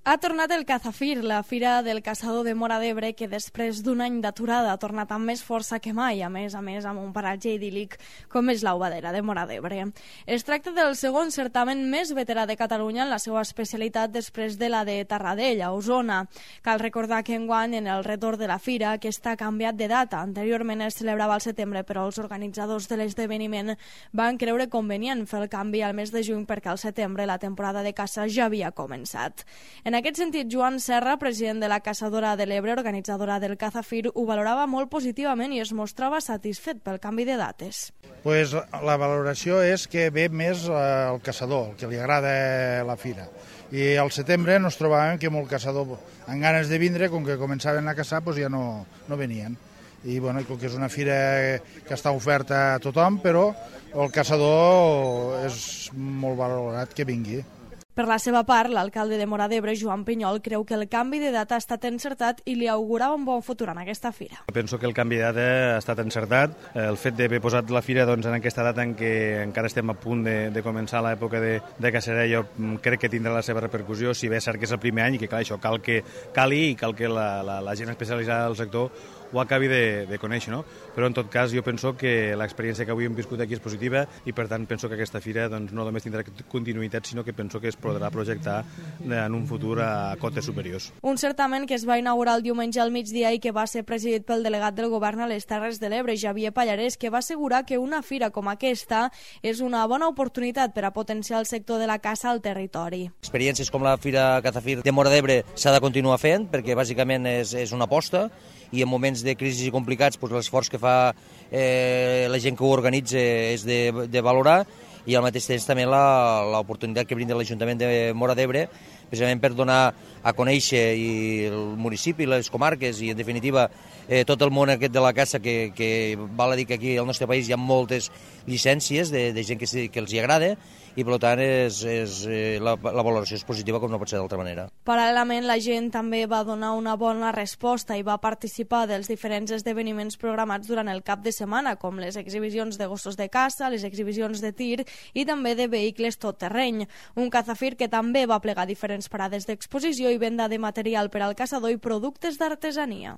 Ha tornat el Cazafir, la fira del caçador de Móra d'Ebre, que després d'un any d'aturada ha tornat amb més força que mai, a més amb un paratge idíl·lic com és l'Aubadera de Móra d'Ebre. Es tracta del segon certamen més veterà de Catalunya en la seva especialitat després de la de Tarradell, a Osona. Cal recordar que enguany, en el retorn de la fira, aquesta ha canviat de data. Anteriorment es celebrava al setembre, però els organitzadors de l'esdeveniment van creure convenient fer el canvi al mes de juny perquè al setembre la temporada de caça ja havia començat. En aquest sentit, Joan Serra, president de la Caçadora de l'Ebre, organitzadora del Cazafir, ho valorava molt positivament i es mostrava satisfet pel canvi de dates. Pues la valoració és que ve més el caçador, el que li agrada la fira. I al setembre ens trobàvem que molt caçador, amb ganes de vindre, com que començaven a caçar, pues ja no venien. I bueno, com que és una fira que està oferta a tothom, però el caçador és molt valorat que vingui. Per la seva part, l'alcalde de Móra d'Ebre, Joan Pinyol, creu que el canvi de data ha estat encertat i li augurava un bon futur en aquesta fira. Penso que el canvi de data ha estat encertat. El fet d'haver posat la fira en aquesta data en què encara estem a punt de començar l'època de caçarà, jo crec que tindrà la seva repercussió, si bé és cert que és el primer any i que això cal que la gent especialitzada del sector ho acabi de conèixer, no? Però en tot cas jo penso que l'experiència que avui hem viscut aquí és positiva i per tant penso que aquesta fira no només tindrà continuïtat, sinó que penso que es podrà projectar en un futur a cotes superiors. Un certamen que es va inaugurar el diumenge al migdia i que va ser presidit pel delegat del govern a les Terres de l'Ebre, Xavier Pallarès, que va assegurar que una fira com aquesta és una bona oportunitat per a potenciar el sector de la caça al territori. Experiències com la Fira Cazafir de Móra d'Ebre s'ha de continuar fent perquè bàsicament és una aposta i en moments de crisi complicats l'esforç que fa la gent que ho organitza és de valorar i al mateix temps també l'oportunitat que brinda l'Ajuntament de Móra d'Ebre precisament per donar a conèixer el municipi, les comarques i en definitiva tot el món aquest de la caça que val a dir que aquí al nostre país hi ha moltes llicències de gent que els hi agrada i per tant la valoració és positiva com no pot ser d'altra manera. Paral·lelament la gent també va donar una bona resposta i va participar dels diferents esdeveniments programats durant el cap de setmana, com les exhibicions de gossos de caça, les exhibicions de tir i també de vehicles tot terreny. Un Cazafir que també va plegar diferents parades d'exposició i venda de material per al caçador i productes d'artesania.